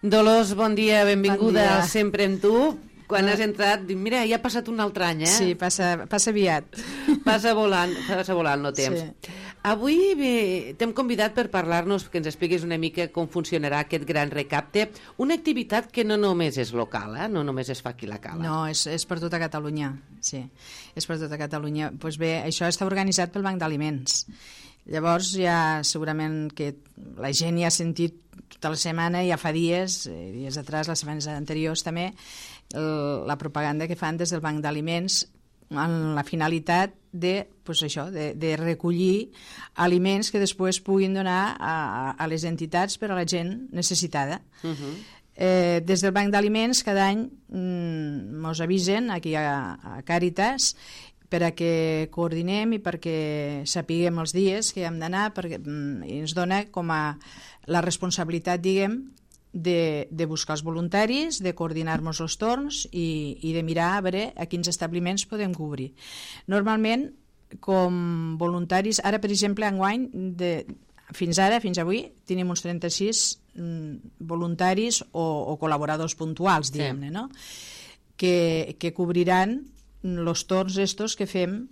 Dolors, bon dia, benvinguda Bon dia. al Sempre amb tu. Quan has entrat, dic, mira, ja ha passat un altre any, eh? Sí, passa aviat. Passa volant el temps. Sí. Avui t'hem convidat per parlar-nos, que ens expliquis una mica com funcionarà aquest gran recapte, una activitat que no només és local, no només es fa aquí a la Cala. No, és per tota Catalunya, sí, és per tota Catalunya. Doncs bé, això està organitzat pel Banc d'Aliments. Llavors ja segurament que la gent ja ha sentit tota la setmana, ja fa dies atrás, les setmanes anteriors també, la propaganda que fan des del Banc d'Aliments amb la finalitat de recollir aliments que després puguin donar a les entitats per a la gent necessitada. Des del Banc d'Aliments cada any ens avisen aquí a Càritas per a que coordinem i perquè sapiguem els dies que hem d'anar, perquè ens dona com a la responsabilitat, diguem, de buscar els voluntaris, de coordinar-nos els torns i de mirar a veure a quins establiments podem cobrir. Normalment, com voluntaris, ara per exemple enguany, fins avui, tenim uns 36 voluntaris o col·laboradors puntuals, diguem-ne, no? Que cobriran els torns estos que fem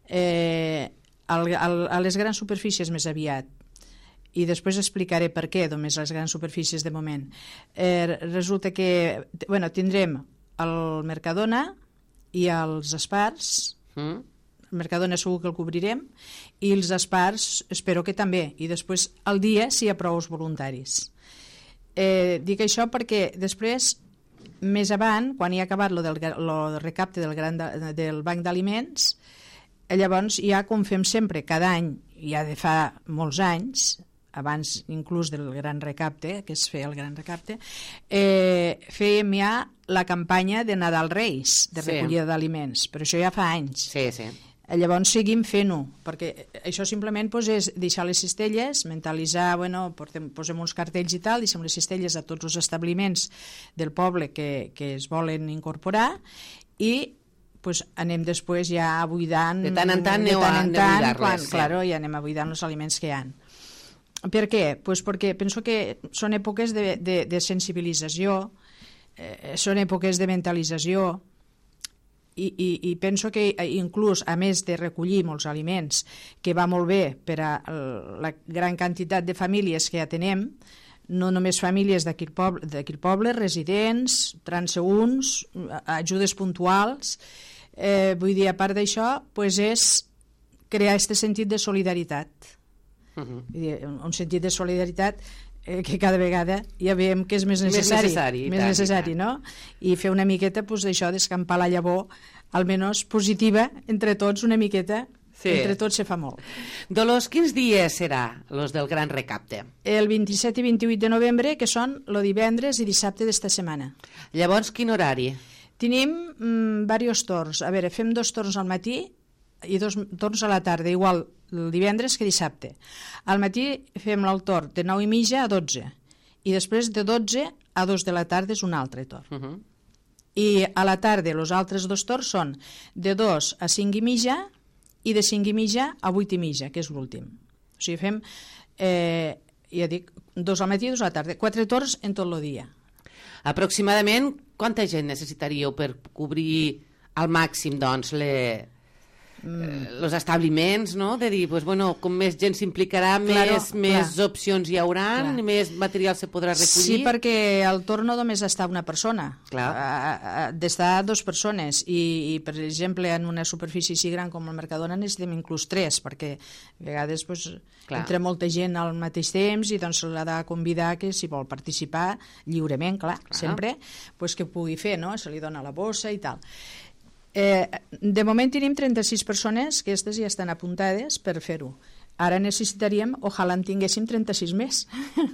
a les grans superfícies més aviat. I després explicaré per què només les grans superfícies de moment. Resulta que tindrem el Mercadona i els Espars. El Mercadona segur que el cobrirem i els Espars espero que també, i després el dia si hi ha prou voluntaris. Dic això perquè després, més avant, quan hi ha acabat el recapte del Banc d'Aliments, llavors ja, com fem sempre cada any, ja de fa molts anys, abans inclús del gran recapte, que es feia el gran recapte, fèiem ja la campanya de Nadal Reis, de recollida d'aliments, però això ja fa anys. Sí, sí. Llavors seguim fent-ho, perquè això simplement és deixar les cistelles, mentalitzar, posem uns cartells i tal, deixem les cistelles a tots els establiments del poble que es volen incorporar i anem després ja buidant. De tant en tant aneu a buidar-les. Claro, ja anem a buidant els aliments que hi ha. Per què? Perquè penso que són èpoques de sensibilització, són èpoques de mentalització, i penso que inclús, a més de recollir molts aliments, que va molt bé per a la gran quantitat de famílies que ja tenem, no només famílies d'aquí el poble, residents, transeünts, ajudes puntuals, vull dir, a part d'això, és crear aquest sentit de solidaritat. Un sentit de solidaritat que cada vegada ja veiem que és més necessari, no? I fer una miqueta d'això, d'escampar la llavor, almenys positiva, entre tots una miqueta, entre tots se fa molt. Dolors, quins dies serà els del gran recapte? El 27 i 28 de novembre, que són el divendres i dissabte d'esta setmana. Llavors, quin horari? Tenim diversos torns. A veure, fem 2 torns al matí i 2 torns a la tarda, igual el divendres que dissabte. Al matí fem el torn de 9:30 a 12 i després de 12 a 2 de la tarda és un altre torn. I a la tarda els altres 2 torns són de 2 a 5:30 i de 5:30 a 8:30, que és l'últim. O sigui, fem, ja dic, 2 al matí i 2 a la tarda, 4 torns en tot el dia. Aproximadament quanta gent necessitaríeu per cobrir al màxim, doncs, els establiments, no? De dir, com més gent s'implicarà, més opcions hi haurà, més material se podrà recollir. Sí, perquè el torn no només està una persona, ha d'estar 2 persones i, per exemple, en una superfície així gran com el Mercadona necessitem inclús 3, perquè a vegades entra molta gent al mateix temps i doncs l'ha de convidar que si vol participar lliurement, sempre, que pugui fer, no? Se li dona la bossa i tal. De moment tenim 36 persones que aquestes ja estan apuntades per fer-ho. Ara necessitaríem, ojalà en tinguéssim 36 més.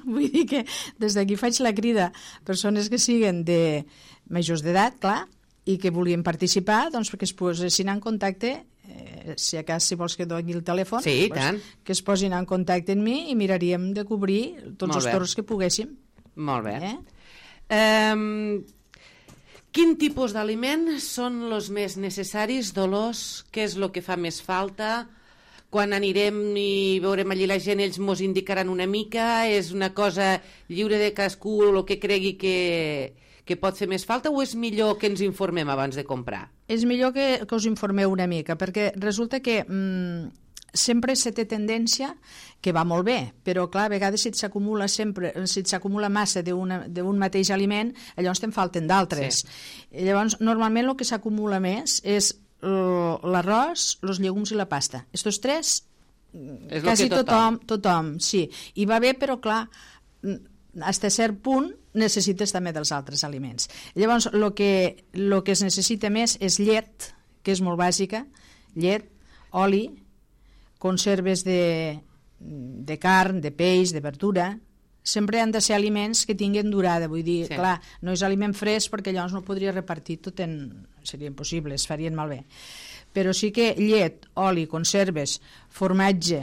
Vull dir que des d'aquí faig la crida a persones que siguin de majors d'edat, clar, i que vulguin participar, doncs perquè es posessin en contacte, si vols que doni el telèfon, que es posin en contacte amb mi i miraríem de cobrir tots els torns que poguéssim. Molt bé. Quin tipus d'aliments són els més necessaris, Dolors? Què és el que fa més falta? quan anirem i veurem allí la gent, ells mos indicaran una mica? És una cosa lliure de cadascú el que cregui que pot fer més falta, o és millor que ens informem abans de comprar? És millor que us informeu una mica, perquè resulta que sempre se té tendència que va molt bé, però clar, a vegades si s'acumula massa d'un mateix aliment, llavors te'n falten d'altres. Sí. Llavors, normalment el que s'acumula més és l'arròs, els llegums i la pasta. Estos tres, quasi tothom, sí. I va bé, però clar, fins a cert punt necessites també dels altres aliments. Llavors, el que es necessita més és llet, que és molt bàsica, llet, oli, conserves de carn, de peix, de verdura. Sempre han de ser aliments que tinguin durada, vull dir, sí. Clar, no és aliment fresc perquè llavors no podria repartir tot seria impossible, es farien malbé. Però sí que llet, oli, conserves, formatge,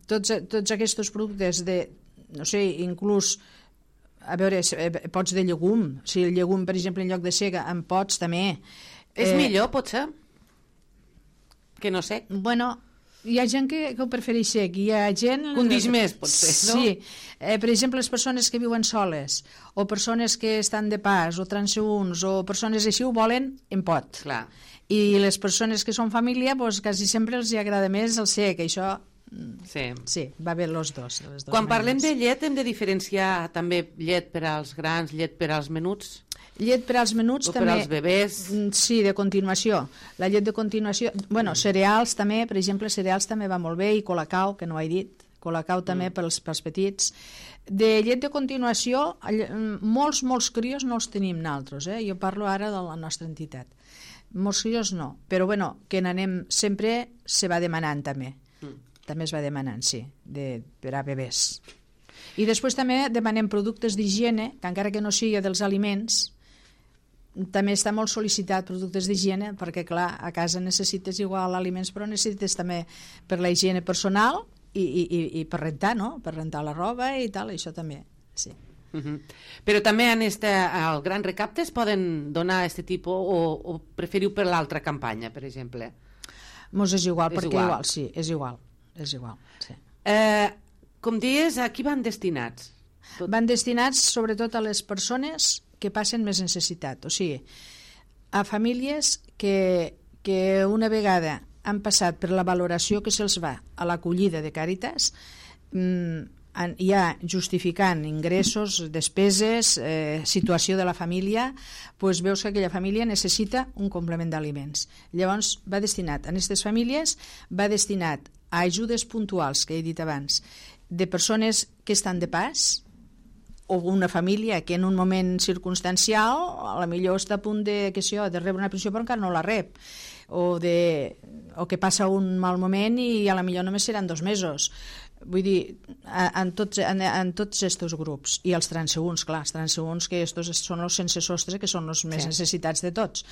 tots aquests productes no sé, inclús a veure, pots de llegum, si el llegum, per exemple, en lloc de sega en pots també. És millor, potser? Que no sec? Bueno, hi ha gent que ho prefereix sec, hi ha gent... Condix més, potser, no? Sí. Per exemple, les persones que viuen soles, o persones que estan de pas, o transeünts, o persones així ho volen en pot. Clar. I les persones que són família, doncs quasi sempre els agrada més el sec, això... Sí, va bé els dos. Quan parlem de llet hem de diferenciar també llet per als grans, llet per als menuts? Llet per als menuts també... O per als bebès? Sí, de continuació. La llet de continuació... Bueno, cereals també, per exemple, cereals també va molt bé, i colacao, que no ho he dit, colacao també pels petits. De llet de continuació, molts crios no els tenim nosaltres, Jo parlo ara de la nostra entitat. Molts crios no, però bueno, que n'anem sempre, se va demanant també. També es va demanant, sí, per a bebès. I després també demanem productes d'higiene, que encara que no sigui dels aliments, també està molt sol·licitat productes d'higiene, perquè clar, a casa necessites igual aliments, però necessites també per la higiene personal i per rentar, no? Per rentar la roba i tal, això també, sí. Però també al Gran Recapte es poden donar aquest tipus, o preferiu per l'altra campanya, per exemple? Mos és igual, perquè igual, sí, és igual, sí. Com dius, a qui van destinats? Van destinats sobretot a les persones que passen més necessitat, o sigui, a famílies que una vegada han passat per la valoració que se'ls va a l'acollida de Càritas, ja justificant ingressos, despeses, situació de la família, doncs veus que aquella família necessita un complement d'aliments. Llavors va destinat a aquestes famílies, va destinat a ajudes puntuals, que he dit abans, de persones que estan de pas, o una família que en un moment circumstancial a la millor està a punt de rebre una pensió però encara no la rep, o que passa un mal moment i a la millor només seran 2 mesos. Vull dir, en tots aquests grups, i els transeünts, clar, els transeünts que estos són els sense sostre, que són els més necessitats de tots.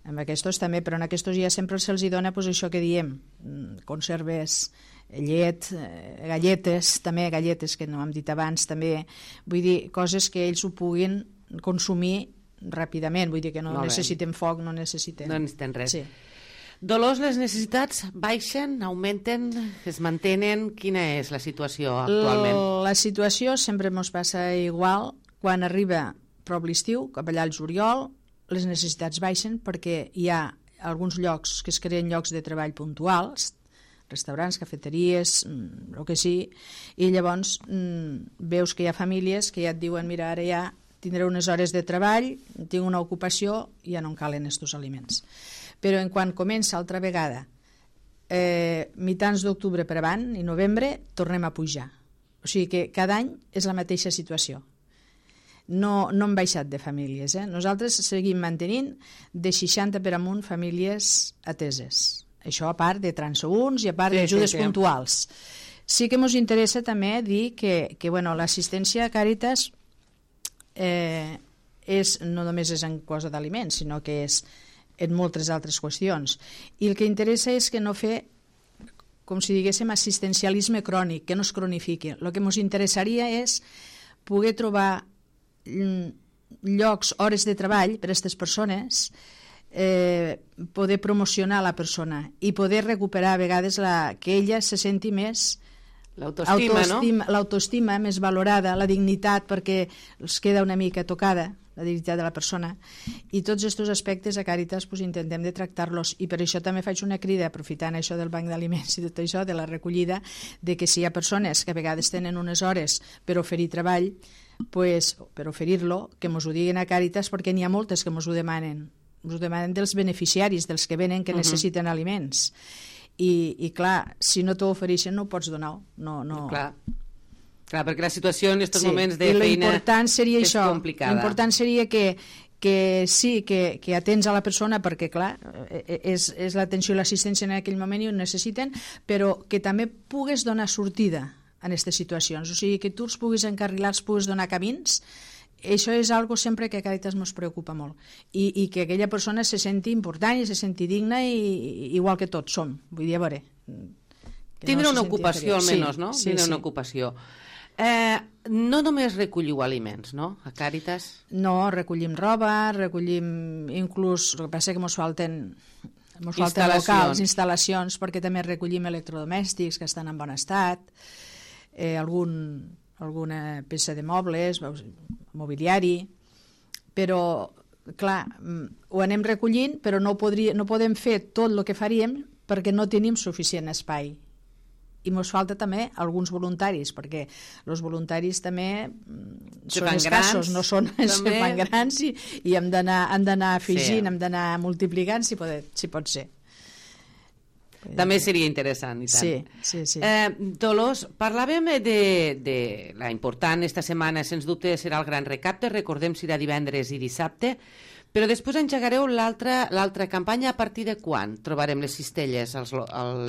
Amb aquests també, però en aquests ja sempre se'ls dona això que diem, conserves, llet, galletes, també galletes que no hem dit abans, també, vull dir, coses que ells ho puguin consumir ràpidament, vull dir que no necessiten foc, no necessiten res. Sí. Dolors, les necessitats baixen, augmenten, es mantenen? Quina és la situació actualment? La situació sempre ens passa igual. Quan arriba prop l'estiu, cap allà al juliol, les necessitats baixen perquè hi ha alguns llocs que es creen llocs de treball puntuals, restaurants, cafeteries, el que sí, i llavors veus que hi ha famílies que ja et diuen, mira, ara ja tindré unes hores de treball, tinc una ocupació, ja no em calen estos aliments. Però en quan comença altra vegada, mitjans d'octubre per avant i novembre, tornem a pujar. O sigui que cada any és la mateixa situació. No hem baixat de famílies. Nosaltres seguim mantenint de 60 per amunt famílies ateses. Això a part de transeünts i a part d'ajudes puntuals. Sí que ens interessa també dir que l'assistència a Càritas no només és en cosa d'aliments, sinó que és en moltes altres qüestions. I el que interessa és que no fer, com si diguéssim, assistencialisme crònic, que no es cronifiqui. El que ens interessaria és poder trobar llocs, hores de treball per a aquestes persones poder promocionar la persona i poder recuperar a vegades que ella se senti més l'autoestima més valorada, la dignitat, perquè els queda una mica tocada la dignitat de la persona, i tots aquests aspectes a Càritas intentem de tractar-los, i per això també faig una crida, aprofitant això del banc d'aliments i tot això, de la recollida, de que si hi ha persones que a vegades tenen unes hores per oferir treball, per oferir-lo, que mos ho diguin a Càritas, perquè n'hi ha moltes que mos ho demanen dels beneficiaris, dels que venen que necessiten aliments, i clar, si no t'ho ofereixen no ho pots donar, no. Clar, perquè la situació en aquests moments de feina és complicada. L'important seria que sí, que atens a la persona, perquè clar, és l'atenció i l'assistència en aquell moment i ho necessiten, però que també pugues donar sortida en aquestes situacions, o sigui, que tu els puguis encarrilar, els puguis donar camins. Això és algo sempre que a Càritas ens preocupa molt, i que aquella persona se senti important i se senti digna, igual que tots som, vull dir, a veure, tindre una ocupació almenys, no? Tindre una ocupació. No només recolliu aliments, no?, a Càritas? No, recollim roba, recollim inclús, el que passa que ens falten locals, instal·lacions, perquè també recollim electrodomèstics que estan en bon estat, alguna peça de mobles, mobiliari, però, clar, ho anem recollint, però no podem fer tot el que faríem perquè no tenim suficient espai. I ens falta també alguns voluntaris, perquè els voluntaris també són escassos, no són, se fan grans, i hem d'anar afegint, hem d'anar multiplicant, si pot ser. També seria interessant, i tant. Sí. Dolors, parlàvem de la important esta setmana, sens dubte serà el gran recapte, recordem serà divendres i dissabte, però després engegareu l'altra campanya. A partir de quan trobarem les cistelles a les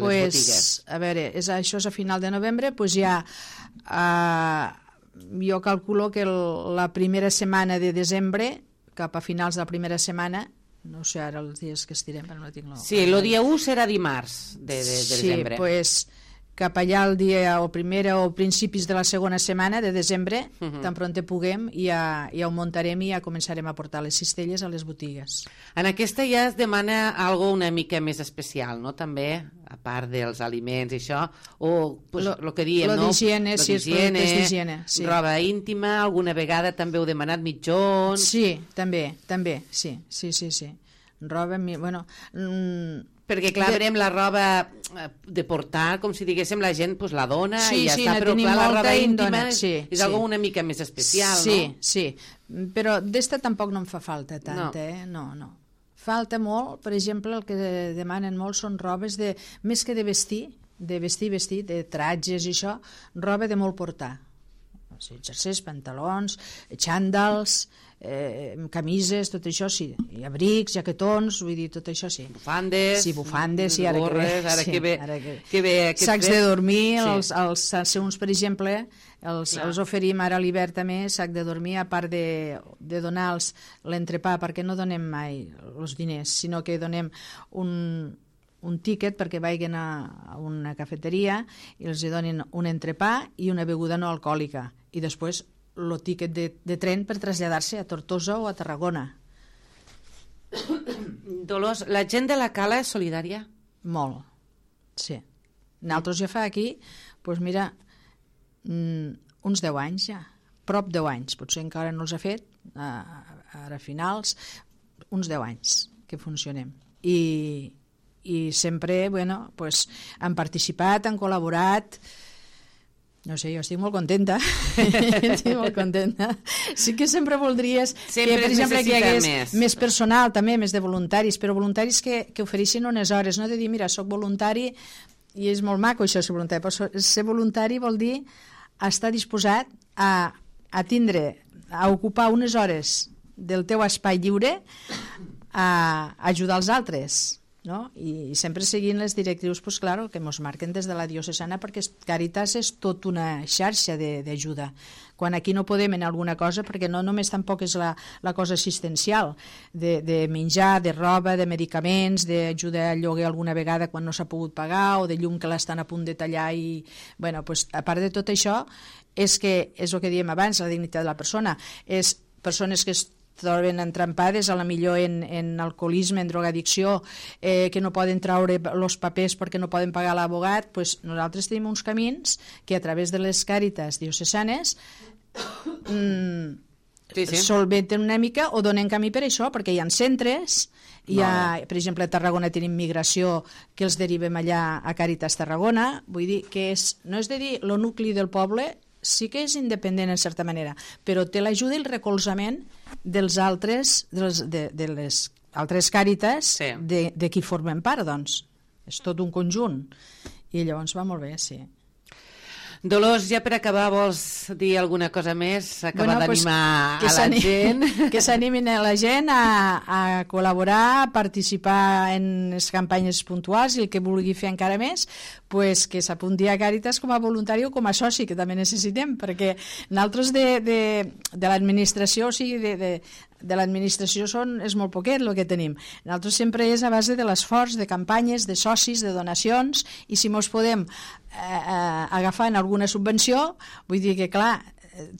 botigues? A veure, això és a final de novembre, doncs ja jo calculo que la primera setmana de desembre, cap a finals de la primera setmana, no sé ara els dies que estirem, però no tinc... Sí, el dia 1 serà dimarts de desembre. Sí, doncs cap allà el dia o primera o principis de la segona setmana de desembre, tan pronte puguem, ja ho muntarem i ja començarem a portar les cistelles a les botigues. En aquesta ja es demana algo una mica més especial, no?, també, a part dels aliments i això, o el que diem, no? D'higiene, sí, els productes d'higiene. Roba íntima, alguna vegada també heu demanat mitjons... Sí, també, sí. Roba, bueno... Perquè, clar, verem la roba de portar, com si diguéssim, la gent la dona i ja està, però clar, la roba íntima és algo una mica més especial, no? Sí, però d'esta tampoc no em fa falta tant, no. Falta molt, per exemple, el que demanen molt són robes més que de vestir, de tratges i això, roba de molt portar. Jerseys, pantalons, xandals, camises, tot això sí, i abrics, jaquetons, vull dir, tot això sí. Bufandes, sí, gorres, ara que ve sacs de dormir, els uns, per exemple, els oferim ara a l'hivern també, sac de dormir, a part de donar l'entrepà, perquè no donem mai els diners, sinó que donem un tiquet perquè vagin a una cafeteria i els donin un entrepà i una beguda no alcohòlica, i després el tiquet de tren per traslladar-se a Tortosa o a Tarragona. Dolors, la gent de la Cala és solidària? Molt, sí. Nosaltres ja fa aquí, doncs mira, uns 10 anys ja, prop 10 anys, potser encara no els ha fet, ara a finals, uns 10 anys que funcionem. I sempre, bueno, pues, han participat, han col·laborat. No sé, jo estic molt contenta. Sí que sempre voldries que, per exemple, que hi hagués més personal, també, més de voluntaris, però voluntaris que ofereixin unes hores, no de dir, mira, soc voluntari, i és molt maco això, ser voluntari, però ser voluntari vol dir estar disposat a ocupar unes hores del teu espai lliure a ajudar els altres, no? I sempre seguint les directrius, pues, claro, que ens marquen des de la diocesana, perquè Càritas és tot una xarxa d'ajuda. Quan aquí no podem en alguna cosa, perquè no només tampoc és la cosa assistencial, de menjar, de roba, de medicaments, d'ajuda al lloguer alguna vegada quan no s'ha pogut pagar, o de llum que l'estan a punt de tallar, i, bueno, pues, a part de tot això, és el que diem abans, la dignitat de la persona, és persones que troben entrampades, a la millor en alcoholisme, en drogadicció, que no poden traure els papers perquè no poden pagar l'abogat, doncs nosaltres tenim uns camins que a través de les càritas diocesanes solventen una mica o donen camí per això, perquè hi ha centres, per exemple, a Tarragona tenim migració que els derivem allà a Càritas Tarragona, vull dir que no és de dir el nucli del poble sí que és independent en certa manera, però té l'ajuda i el recolzament dels altres, de les altres càritas de qui formen part, doncs. És tot un conjunt. I llavors va molt bé, sí. Dolors, ja per acabar, vols dir alguna cosa més? Acabar d'animar a la gent? Que s'animin a la gent a col·laborar, a participar en les campanyes puntuals, i el que vulgui fer encara més, pues que s'apunti a Càritas com a voluntari o com a soci, que també necessitem, perquè nosaltres de l'administració, o sigui, de l'administració és molt poquet el que tenim. Nosaltres sempre és a base de l'esforç, de campanyes, de socis, de donacions, i si mos podem agafar en alguna subvenció, vull dir que clar,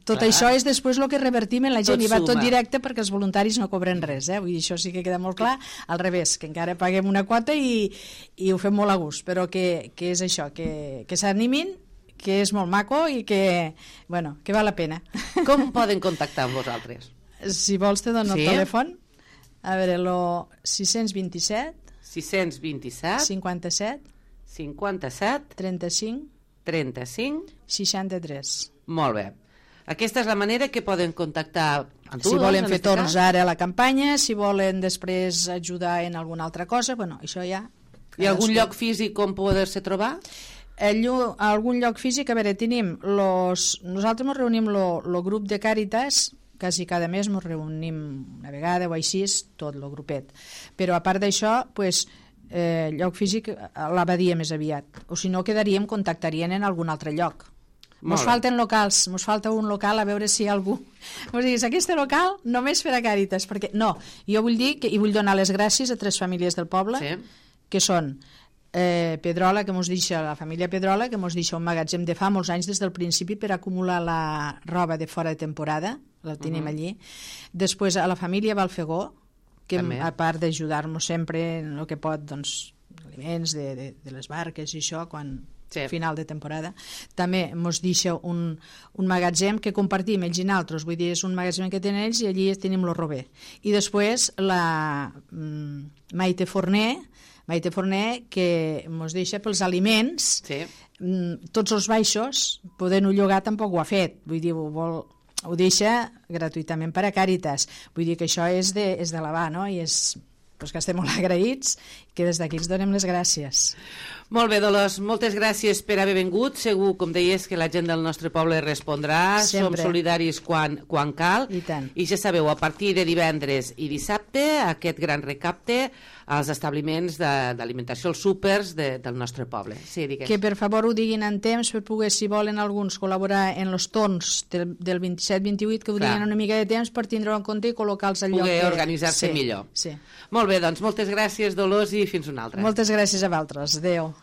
tot això és després el que revertim en la gent, i va tot directe perquè els voluntaris no cobren res, vull dir, això sí que queda molt clar, al revés, que encara paguem una quota i ho fem molt a gust, però que és això, que s'animin, que és molt maco i que val la pena. Com poden contactar amb vosaltres? Si vols te dono el telèfon. A veure, el 627 57 35 63. Molt bé. Aquesta és la manera que poden contactar amb tu. Si volen fer torns ara a la campanya, si volen després ajudar en alguna altra cosa, això ja... Hi ha algun lloc físic on poder-se trobar? Algun lloc físic, a veure, tenim nosaltres ens reunim el grup de Càritas, quasi cada mes ens reunim una vegada o així, tot el grupet. Però a part d'això, lloc físic a l'abadia més aviat, o si no contactarien en algun altre lloc. Ens falten locals, ens falta un local, a veure si hi ha algú. Ens diguis, aquest local només per a Càritas, perquè no, jo vull dir i vull donar les gràcies a 3 famílies del poble, que són Pedrola, que mos deixa, la família Pedrola, que mos deixa un magatzem de fa molts anys des del principi per acumular la roba de fora de temporada, la tenim allí. Després a la família Balfegó, que a part d'ajudar-nos sempre en el que pot, doncs, aliments de les barques i això, quan final de temporada, també mos deixa un magatzem que compartim ells i nosaltres, vull dir, és un magatzem que tenen ells i allí tenim el rober. I després la Maite Forner, que mos deixa pels aliments, tots els baixos, podent-ho llogar tampoc ho ha fet, vull dir, ho deixa gratuïtament per a Càritas, vull dir que això és d'elevar, no? I que estem molt agraïts, que des d'aquí els donem les gràcies. Molt bé, Dolors, moltes gràcies per haver vingut. Segur, com deies, que la gent del nostre poble respondrà. Som solidaris quan cal. I ja sabeu, a partir de divendres i dissabte, aquest gran recapte als establiments d'alimentació, els súpers del nostre poble. Sí, digues. Que per favor ho diguin en temps per poder, si volen alguns, col·laborar en els torns del 27-28, que ho diguin una mica de temps per tindre-ho en compte i col·locar-los al lloc. Poder organitzar-se millor. Molt bé, doncs moltes gràcies, Dolors, i fins una altra. Moltes gràcies a vosaltres. Adéu.